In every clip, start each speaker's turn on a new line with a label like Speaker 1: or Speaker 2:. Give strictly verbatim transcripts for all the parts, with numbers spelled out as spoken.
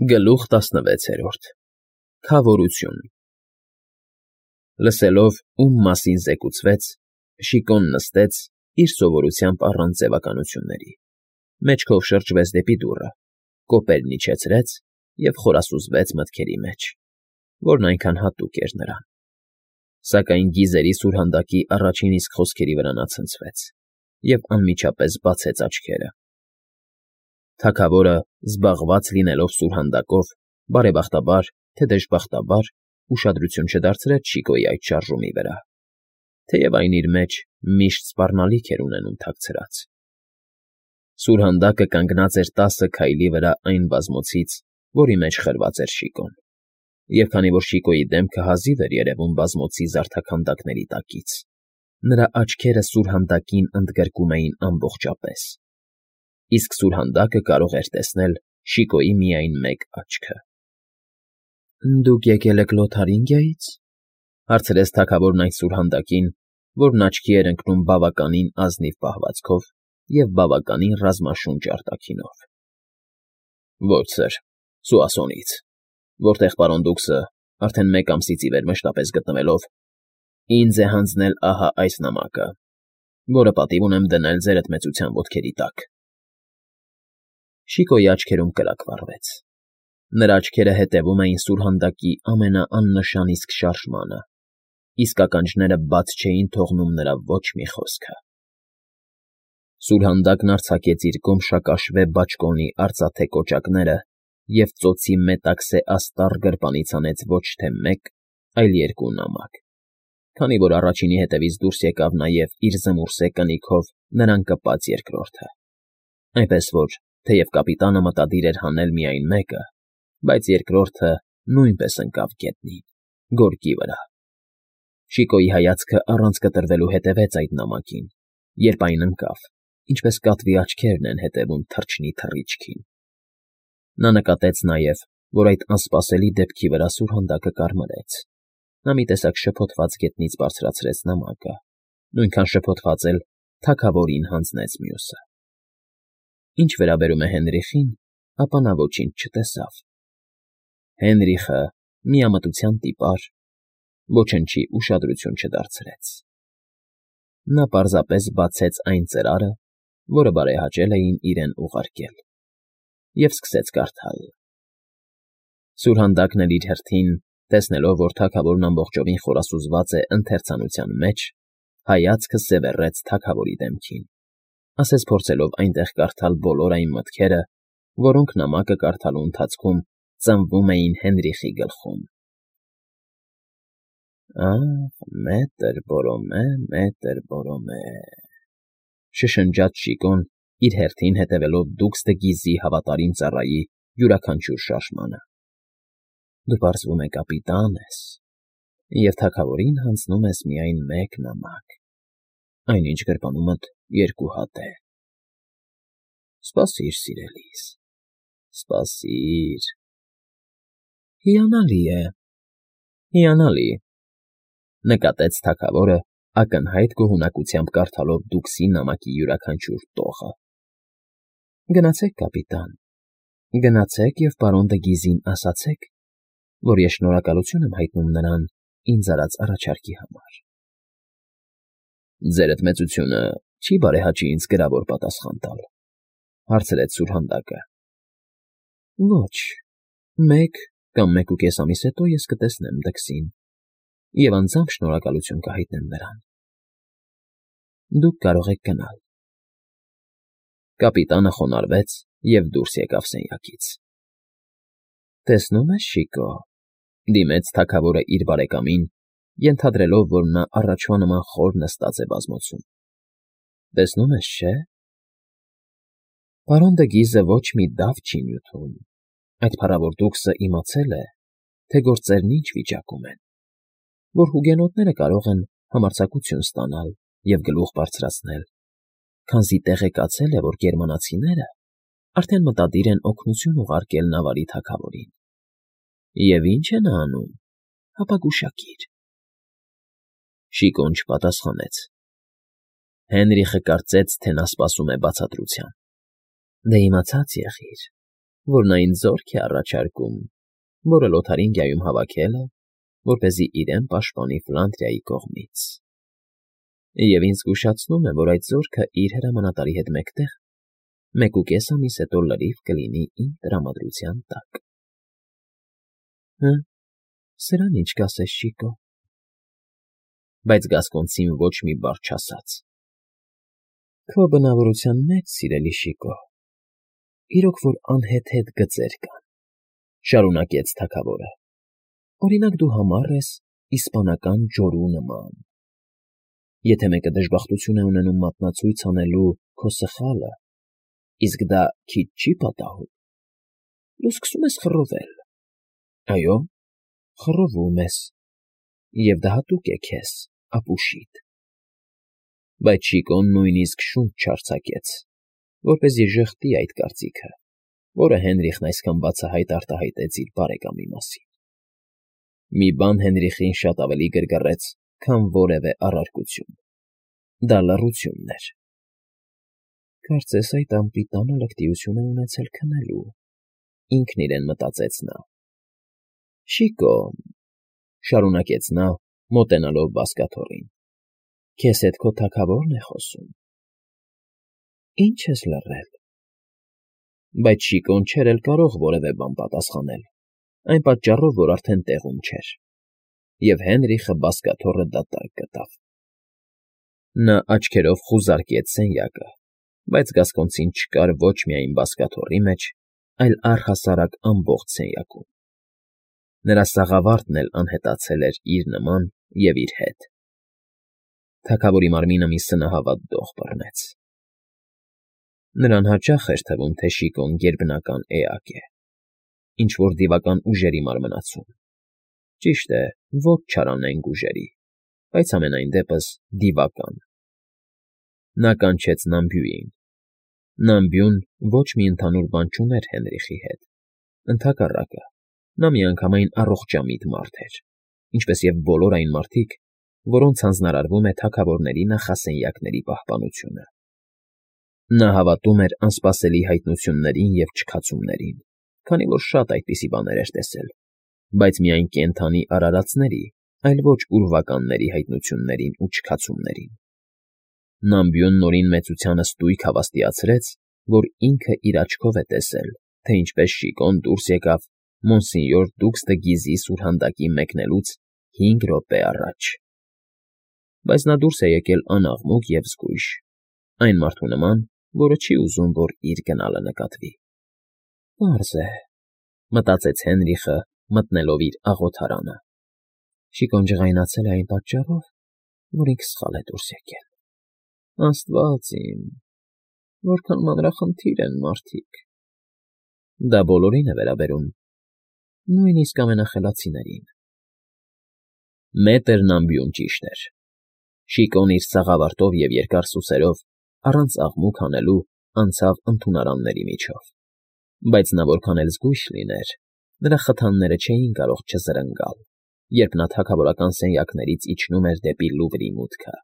Speaker 1: Գլուխ տասնվեցերորդ Քավորություն Լսելով, ում մասին զեկուցվեց, Շիկոն նստեց, իր սովորությամբ առանց ձևականությունների, մեջքով շրջվեց դեպի դուռը, կոպերն իջեցրեց և խորասուզվեց մտքերի մեջ, որն այնքան հատուկ էր նրան, սակայն գիզերի սուրհանդակի առաջին իսկ խոսքերի վրա նա ցնցվեց և անմիջապես բացեց աչքերը. թագավորը, զբաղված լինելով սուրհանդակով, բարեբախտաբար, թե դժբախտաբար, ուշադրություն չդարձրեց Շիկոյի այդ շարժումի վրա, թեև այն իր մեջ միշտ սպառնալիք էր ունենում թաքցրած. Սուրհանդակը կանգնած էր տասը քայլի վրա այն բազմոցից, որի մեջ խրված էր Շիկոն, և քանի որ Շիկոյի դեմքը հազիվ էր երևում բազմոցի զարդաքանդակների տակից, նրա աչքերը սուրհանդակին ընդգրկում էին ամբողջապես, իսկ սուրհանդակը կարող էր տեսնել Շիկոյի միայն մեկ աչքը։ ֊ Դուք եկել եք Լոթարինգիայից,֊ հարցրեց թագավորն այն սուրհանդակին, որն աչքի էր ընկնում բավականին ազնիվ պահվածքով և բավականին ռազմաշունչ արտաքինով։ ֊ Ոչ, սըր, Սուասոնից, որտեղ պարոն դուքսը, արդեն մեկ ամսից ի վեր մշտապես գտնվելով, ինձ է հանձնել ահա այս նամակը, որը պատիվ ունեմ դնել ձեր էդմեցության ոտքերի տակ։ Շիկոյի աչքերում կրակ վառվեց. նրա աչքերը հետևում էին սուրհանդակի ամենաաննշան իսկ շարժմանը, իսկ ականջները բաց չէին թողնում նրա ոչ մի խոսքը։ Սուրհանդակն արձակեց իր գոմշակաշվե բաճկոնի արծաթե կոճակները և ծոցի մետաքսե աստառ գրպանից հանեց ոչ թե մեկ, այլ երկու նամակ, քանի որ առաջինի հետևից դուրս եկավ նաև իր զմուրսե կնիքով նրան կպած երկրորդը, այնպես որ, թեև կապիտանը մտադիր էր հանել միայն մեկը, բայց երկրորդը նույնպես ընկավ գետնին, գորգի վրա։ Շիկոյի հայացքը առանց կտրվելու հետևեց այդ նամակին, երբ այն ընկավ, ինչպես կատվի աչքերն են հետևում թռչնի թռիչքին։ Նա նկատեց նաև, որ այդ անսպասելի դեպքի վրա սուրհանդակը կարմրեց, նա մի տեսակ շփոթված գետնից բարձրացրեց նամակը, նույնքան շփոթված էլ թագավորին հանձնեց մյուսը։ Ինչ վերաբերում է Հենրիխին, ապա նա ոչինչ չտեսավ։ Հենրիխը, միամտության տիպար, ոչնչի ուշադրություն չդարձրեց։ Նա պարզապես բացեց այն ծրարը, որը բարեհաճել էին իրեն ուղարկել, և սկսեց կարդալ. Սուրհանդակն էլ իր հերթին, տեսնելով, որ թագավորն ամբողջովին խորասուզված է ընթերցանության մեջ, հայացքը սևեռեց թագավորի դեմքին, ասես փորձելով այնտեղ կարդալ բոլոր այն մտքերը, որոնք նամակը կարդալու ընթացքում ծնվում էին Հենրիխի գլխում։ «Ախ, մետր Բորոմե, մետր Բորոմե…» շշնջաց Շիկոն, իր հերթին հետևելով դուքս դը Գիզի հավատարիմ ծառայի յուրաքանչյուր շարժմանը։ «Դու, պարզվում է, կապիտան ես, և թագավորին հանձնում ես միայն մեկ նամակ, այնինչ գրպանումդ երկու հատ է։ Սպասիր, սիրելիս, սպասիր… Հիանալի է, հիանալի…֊ նկատեց թագավորը, ակնհայտ գոհունակությամբ կարդալով դուքսի նամակի յուրաքանչյուր տողը։ Գնացեք, կապիտան, գնացեք և պարոն դը Գիզին ասացեք, որ ես շնորհակալություն եմ հայտնում նրան ինձ արած առաջարկի համար։ ֊ Ձեր էդմեցությունը չի՞ բարեհաճի ինձ գրավոր պատասխան տալ,֊ հարցրեց սուրհանդակը։ ֊ Ոչ, մեկ կամ մեկուկես ամիս հետո ես կտեսնեմ դքսին և անձամբ շնորհակալություն կհայտնեմ նրան։ Դուք կարող եք գնալ։ Կապիտանը խոնարհվեց և դուրս եկավ սենյակից։ ֊ Տեսնում ես, Շիկո,֊ դիմեց թագավորը իր բարեկամին, ենթադրելով, որ նա առաջվա նման խոր նստած է բազմոցում։ ֊ Տեսնում ես, չէ՞… Պարոն դը Գիզը ոչ մի դավ չի նյութում, այդ փառավոր դուքսը իմացել է, թե գործերն ինչ վիճակում են, որ հուգենոտները կարող են համարձակություն ստանալ և գլուխ բարձրացնել, քանզի տեղեկացել է, որ գերմանացիները արդեն մտադիր են օգնություն ուղարկել Նավարի թագավորին։ Եվ ի՞նչ է նա անում, հապա գուշակիր։ Շիկոն չպատասխանեց։ Հենրիխը կարծեց, թե նա սպասում է բացատրության։ Դե իմացած եղիր, որ նա ինձ զորք է առաջարկում, որը Լոթարինգիայում հավաքել է, որպեսզի իրեն պաշտպանի Ֆլանդրիայի կողմից։ Եվ ինձ զգուշացնում է, որ այդ զորքը իր հրամանատարի հետ մեկտեղ մեկուկես ամիս հետո լրիվ կլինի իմ տրամադրության տակ։ Հը, սրան ինչ կասես, Շիկո։ Բայց Գասկոնցին ոչ մի բառ չասաց։ Քո բնավորության մեջ, սիրելի Շիկո, իրոք որ անհեթեթ գծեր կան, շարունակեց թագավորը։ Օրինակ դու համառ ես իսպանական ջորու նման։ Եթե մեկը դժբախտություն է ունենում մատնացույց անելու քո սխալը, իսկ դա քիչ չի պատահում, դու սկսում ես խռովել։ Այո, խռովում ես, և դա հատուկ է քեզ, ապուշիդ։ Բայց Շիկոն նույնիսկ շունչ չարձակեց, որպեսզի ժխտի այդ կարծիքը, որը Հենրիխն այսքան բացահայտ արտահայտեց իր բարեկամի մասին։ Մի բան Հենրիխին շատ ավելի գրգռեց, քան որևէ առարկություն. դա լռությունն էր։ Կարծես այդ անպիտանը լկտիություն է ունեցել քնելու, ինքն իրեն մտածեց նա։ Շիկո, շարունակեց նա, մոտենալով բազկաթոռին, քեզ հետ քո թագավորն է խոսում։ Ինչ ես լռել։ Բայց Շիկոն չէր էլ կարող որևէ բան պատասխանել, այն պատճառով, որ արդեն տեղում չէր, և Հենրիխը բազկաթոռը դատարկ գտավ։ Նա աչքերով խուզարկեց սենյակը, բայց Գասկոնցին չկար ոչ միայն բազկաթոռի մեջ, այլ առհասարակ ամբողջ սենյակում։ Նրա սաղավարտն էլ անհետացել էր իր նման և իր հետ։ Թագավորի մարմինը մի սնահավատ դող բռնեց։ Նրան հաճախ էր թվում, թե Շիկոն գերբնական էակ է, ինչ֊որ դիվական ուժերի մարմնացում, ճիշտ է, ոչ չարանենգ ուժերի, բայց համենայն դեպս դիվական։ Նա կանչեց Նամբյուին։ Նամբյուն ոչ մի ընդհանուր բան չուներ Հենրիխի հետ, ընդհակառակը, նա միանգամայն առողջամիտ մարդ էր, ինչպես և բոլոր այն մարդիկ, որոնց հանձնարարվում է թագավորների նախասենյակների պահպանությունը։ Նա հավատում էր անսպասելի հայտնություններին և չքացումներին, քանի որ շատ այդպիսի բաներ էր տեսել, բայց միայն կենդանի արարածների, այլ ոչ ուրվականների հայտնություններին ու չքացումներին։ Նամբյուն նորին մեծությանը ստույգ հավաստիացրեց, որ ինքը իր աչքով է տեսել, թե ինչպես Շիկոն դուրս եկավ Մոնսինյոր Դուքս դը Գիզի սուրհանդակի մեկնելուց հինգ րոպե առաջ։ Բայց նա դուրս է եկել անաղմուկ և զգույշ, այն մարդու նման, որը չի ուզում, որ իր գնալը նկատվի։ Պարզ է, մտածեց Հենրիխը, մտնելով իր աղոթարանը։ Շիկոն ջղայնացել է այն պատճառով, որ ինքը սխալ է դուրս եկել։ Աստված իմ, որքան մանրախնդիր են մարդիկ։ Դա բոլորին է վերաբերում, նույնիսկ ամենախելացիներին։ Մետր Նամբյուն ճիշտ էր։ Շիկոն իր սաղավարտով և երկար սուսերով, առանց աղմուկ հանելու, անցավ ընդունարանների միջով, բայց նա որքան էլ զգույշ լիներ, նրա խթանները չէին կարող չզրնգալ, երբ նա թագավորական սենյակներից իջնում էր դեպի Լուվրի մուտքը։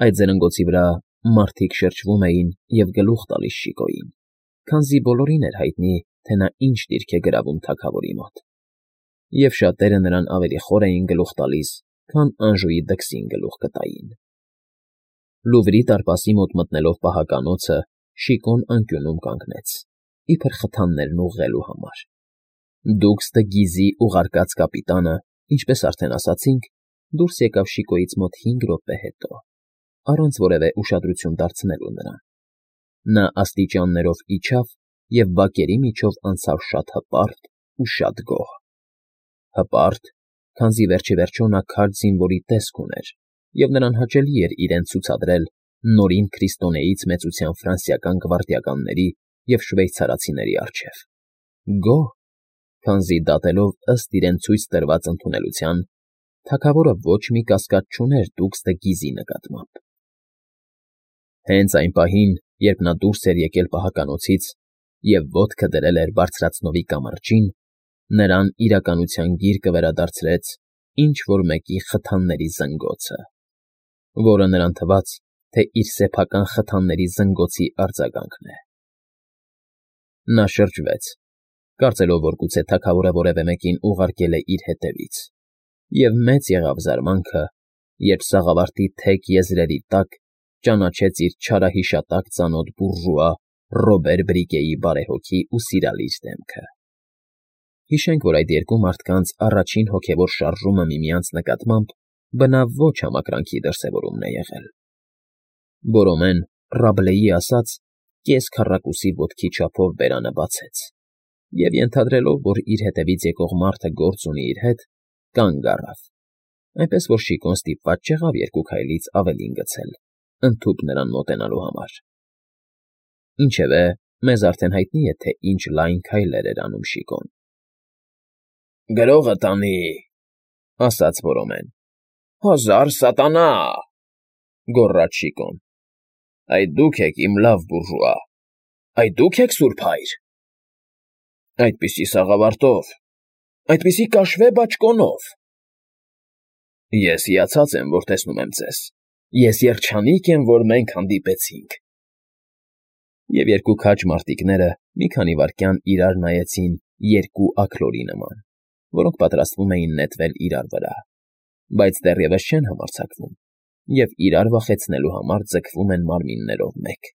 Speaker 1: Այդ զրնգոցի վրա մարդիկ շրջվում էին և գլուխ տալիս Շիկոյին, քանզի բոլորին էր հայտնի, թե նա ինչ դիրք է գրավում թագավորի մոտ, և շատերը նրան ավելի խոր էին գլուխ տալիս, քան Անժուի դքսին գլուխ կտային։ Լուվրի դարպասի մոտ մտնելով պահականոցը, Շիկոն անկյունում կանգնեց, իբր խթաններն ուղղելու համար։ Դուքս դը Գիզի ուղարկած կապիտանը, ինչպես արդեն ասացինք, դուրս եկավ Շիկոյից մոտ հինգ րոպե հետո, առանց որևէ ուշադրություն դարձնելու նրան։ Նա աստիճաններով իջավ և բակերի միջով անցավ շատ հպարտ ու շատ գոհ։ Հպարտ, քանզի վերջիվերջո նա քարջ զինվորի տեսք ուներ, և նրան հաճելի էր իրեն ցուցադրել նորին քրիստոնեից մեծության ֆրանսիական գվարդիականների և շվեյցարացիների առջև։ Գոհ, քանզի դատելով ըստ իրեն ցույց տրված ընդունելության, թագավորը ոչ մի կասկած չուներ Դուքս դը Գիզի նկատմամբ։ Հենց այն պահին, երբ նա դուրս էր եկել պահականոցից և ոտքը դրել էր բարձրացնովի կամրջին, նրան իրականության գիրկը վերադարձրեց ինչ֊որ մեկի խթանների զնգոցը, որը նրան թվաց, թե իր սեփական խթանների զնգոցի արձագանքն է։ Նա շրջվեց, կարծելով, որ գուցե թագավորը որևէ մեկին ուղարկել է իր հետևից, և մեծ եղավ զարմանքը, երբ սաղավարտի թեք եզրերի տակ ճանաչեց իր չարահիշատակ ծանոթ բուրժուա Ռոբեր Բրիկեի բարեհոգի ու սիրալիր դեմքը։ Հիշենք, որ այդ երկու մարդկանց առաջին հոգևոր շարժումը միմյանց նկատմամբ բնավ ոչ համակրանքի դրսևորումն է եղել։ Բորոմեն, Ռաբլեի ասած, կես քառակուսի ոտքի չափով բերանը բացեց և, ենթադրելով, որ իր հետևից եկող մարդը գործ ունի իր հետ, կանգ առավ, այնպես որ Շիկոն ստիպված չեղավ երկու քայլից ավելին գցել, ընդհուպ նրան մոտենալու համար։ Ինչևէ, մեզ արդեն հայտնի է, թե ինչ լայն քայլեր էր անում Շիկոն։ ֊ Գրողը տանի,֊ ասաց Բորոմեն։ ֊ Հազար սատանա,֊ գոռաց Շիկոն։ ֊ Այդ դուք եք, իմ լավ բուրժուա, այդ դուք եք, սուրբ հայր… Այդպիսի սաղավարտով, այդպիսի կաշվե բաճկոնով… Ես հիացած եմ, որ տեսնում եմ ձեզ, ես երջանիկ եմ, որ մենք հանդիպեցինք… Եվ երկու քաջ մարտիկները մի քանի վայրկյան իրար նայեցին երկու աքլորի նման, որոնք պատրաստվում էին նետվել իրար վրա, բայց դեռևս չեն համարձակվում և իրար վախեցնելու համար ձգվում են մարմիններով մեկ։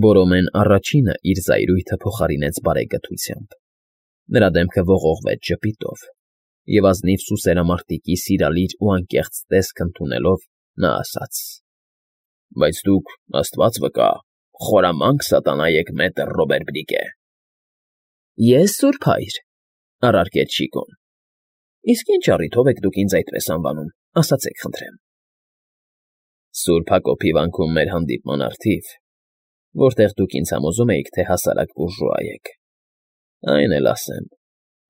Speaker 1: Բորոմեն առաջինը իր զայրույթը փոխարինեց բարեկթությամբ. նրա դեմքը ողողվեց ժպիտով, և ազնիվ սուսերամարտիկի սիրալիր ու անկեղծ տեսք ընդունելով, նա ասաց. ֊ Բայց դուք, աստված վկա, խորամանկ սատանա եք, մետր Ռոբեր Բրիկե։ ֊ Ես, սուրբ հայր,֊ առարկեց Շիկոն։ ֊ Իսկ ինչ առիթով եք դուք ինձ այդպես անվանում, ասացեք խնդրեմ։ ֊ Սուրբ Հակոբի վանքում մեր հանդիպման առթիվ, որտեղ դուք ինձ համոզում էիք, թե հասարակ բուրժուա եք, այն էլ ասեմ,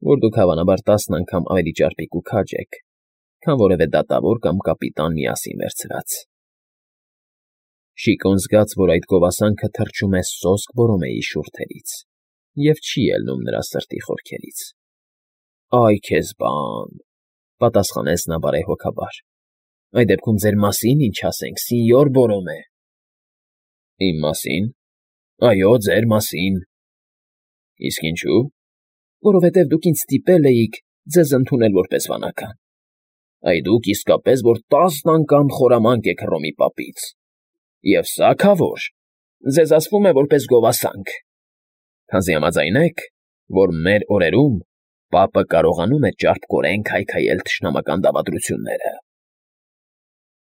Speaker 1: որ դուք հավանաբար տասն անգամ ավելի ճարպիկ ու քաջ եք, քան որևէ դատավոր կամ կապիտան միասին վերցրած… Շիկոն զգաց, որ այդ գովասանքը թռչում է սոսկ Բորոմեի շուրթերից և չի ելնում նրա սրտի խորքերից։ ֊ Այ քեզ բան,֊ պատասխանեց նա բարեհոգաբար,֊ այդ դեպքում ձեր մասին ինչ ասենք, սինյոր Բորոմե։ ֊ Իմ մասի՞ն։ Այո, ձեր մասին։ ֊ Իսկ ինչո՞ւ։ ֊ Որովհետև դուք ինձ ստիպել էիք ձեզ ընդունել որպես վանական։ ֊ Այ դուք իսկապես որ տասն անգամ խորամանկ եք Հռոմի պապից… Եվ սա, քավոր, ձեզ ասվում է որպես գովասանք, քանզի համաձայն եք, որ մեր օրերում պապը կարողանում է ճարպկորեն քայքայել թշնամական դավադրությունները։ ֊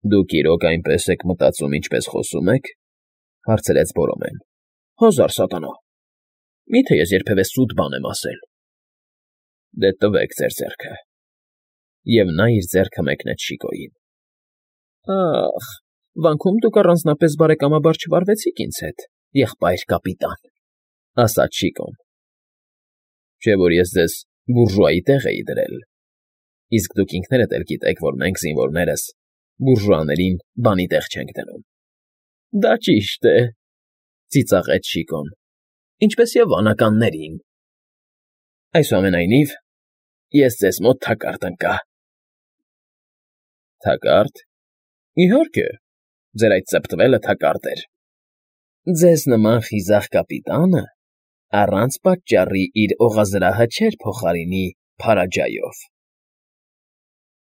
Speaker 1: Դուք իրոք այնպես եք մտածում, ինչպես խոսում եք,֊ հարցրեց Բորոմեն։ ֊ Հազար սատանա… Մի՞թե ես երբևէ սուտ բան եմ ասել։ ֊ Դե տվեք ձեր ձեռքը… Եվ նա իր ձեռքը մեկնեց Շիկոյին։ ֊ Ա՜խ, վանքում դուք առանձնապես բարեկամաբար չվարվեցիք ինձ հետ, եղբայր կապիտան,֊ ասաց Շիկոն։ ֊ Չէ՞ որ ես ձեզ բուրժուայի տեղ էի դրել, իսկ դուք ինքներդ էլ գիտեք, որ մենք, զինվորներս, բուրժուաներին բանի տեղ չենք դնում։ ֊ Դա ճիշտ է,֊ ծիծաղեց Շիկոն,֊ ինչպես և վանականներին… Այսուամենայնիվ, ես ձեզ մոտ թակարդ ընկա։ ֊ Թակա՞րդ։ ֊ Իհարկե, ձեր այդ ծպտվելը թակարդ էր։ ֊ Ձեզ նման խիզախ կապիտանը առանց պատճառի իր օղազրահը չէր փոխարինի Փարաջայով։ ֊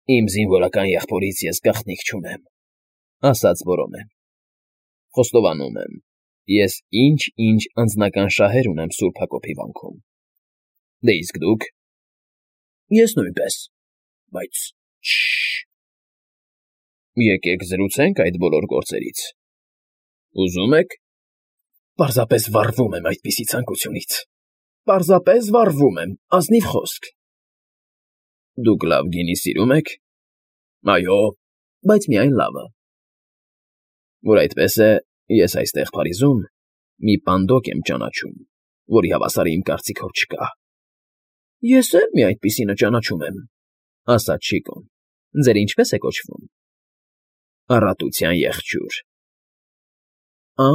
Speaker 1: Իմ զինվորական եղբորից ես գաղտնիք չունեմ,֊ ասաց Բորոմեն։ ֊ Խոստովանում եմ, ես ինչ֊ինչ անձնական շահեր ունեմ Սուրբ Հակոբի վանքում։ ֊ Դե իսկ դուք։ ֊ Ես նույնպես, բայց… Շ֊շ… Եկեք զրուցենք այդ բոլոր գործերից… Ուզո՞ւմ եք։ ֊ Պարզապես վառվում եմ այդպիսի ցանկությունից… Պարզապես վառվում եմ, ազնիվ խոսք… ֊ Դուք լավ գինի սիրում եք։ ֊ Այո, բայց միայն լավը… ֊ Որ այդպես է, ես այստեղ Փարիզում մի պանդոկ եմ ճանաչում, որի հավասարը իմ կարծիքով չկա։ ֊ Ես էլ մի այդպիսինը ճանաչում եմ,֊ ասաց Շիկոն։ ֊ Ձեր ինչպե՞ս է կոչվում։ ֊ Առատության եղջյուր։ ֊ Ա՜,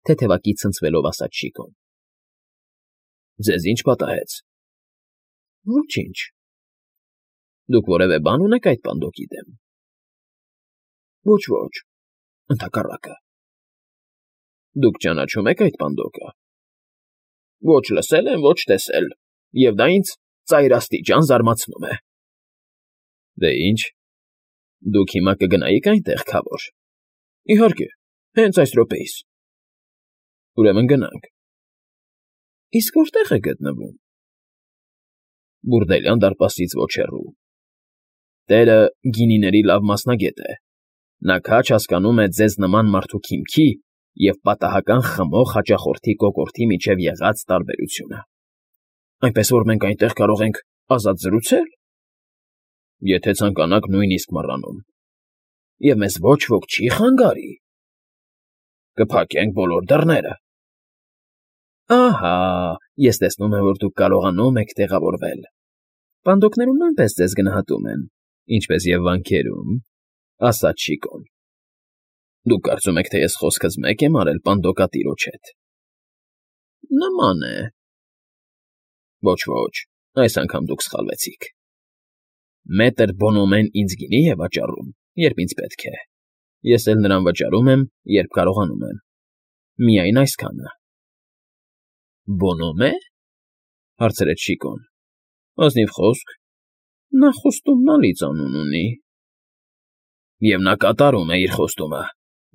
Speaker 1: թեթևակի ցնցվելով ասաց Շիկոն։ ֊ Ձեզ ի՞նչ պատահեց։ ֊ Ոչինչ։ ֊ Դուք որևէ բան ունեք այդ պանդոկի դեմ։ ֊ Ոչ, ոչ, ընդհակառակը։ ֊ Դուք ճանաչո՞ւմ եք այդ պանդոկը։ Ոչ լսել եմ, ոչ տեսել, և դա ինձ ծայրաստիճան զարմացնում է։ ֊ Դե ինչ, դուք հիմա կգնայի՞ք այնտեղ, քավոր։ ֊ Իհարկե, հենց այս րոպեիս։ ֊ Ուրեմն գնանք։ ֊ Իսկ որտե՞ղ է գտնվում։ ֊ Բուրդելյան դարպասից ոչ հեռու։ Տերը գինիների լավ մասնագետ է, նա քաջ հասկանում է ձեզ նման մարդու քիմքի և պատահական խմող հաճախորդի կոկորդի միջև եղած տարբերությունը։ ֊ Այնպես որ մենք այնտեղ կարող ենք ազատ զրուցե՞լ։ ֊ Եթե ցանկանաք, նույնիսկ մռանում։ Եվ մեզ ոչ ոք չի՞ խանգարի։ ֊ Կփակենք բոլոր դռները։ ֊ Ահա, ես տեսնում եմ, որ դուք կարողանում եք տեղավորվել։ Պանդոկներում նույնպես ձեզ գնահատում են, ինչպես և վանքերում, ֊ ասաց Շիկոն։ ֊ Դուք կարծում եք, թե ես խոսքս մեկ եմ արել պանդոկատիրոջ հետ։ ֊ Նման է։ ֊ Ոչ, ոչ, այս անգամ դուք սխալվեցիք։ Մետր Բոնոմեն ինձ գինի է վաճառում, երբ ինձ պետք է, ես էլ նրան վճարում եմ, երբ կարողանում եմ, միայն այսքանը։ ֊ Բոնոմե՞, հարցրեց Շիկոն։ ֊ Ազնիվ խոսք, նա խոստումնալից անուն ունի։ ֊ Եվ նա կատարում է իր խոստումը։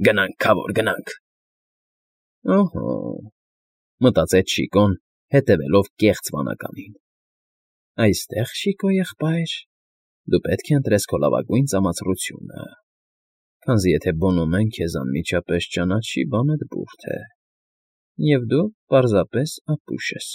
Speaker 1: Գնանք, քավոր, գնանք։ Ըհը, մտածեց Շիկոն, հետևելով կեղծ վանականին։ Այստեղ, Շիկո եղբայր, դու պետք է ընտրես քո լավագույն ծամացրությունը, քանզի եթե Բոնոմեն քեզ անմիջապես ճանաչի, բանդ բուրդ է, և դու պարզապես ապուշ ես։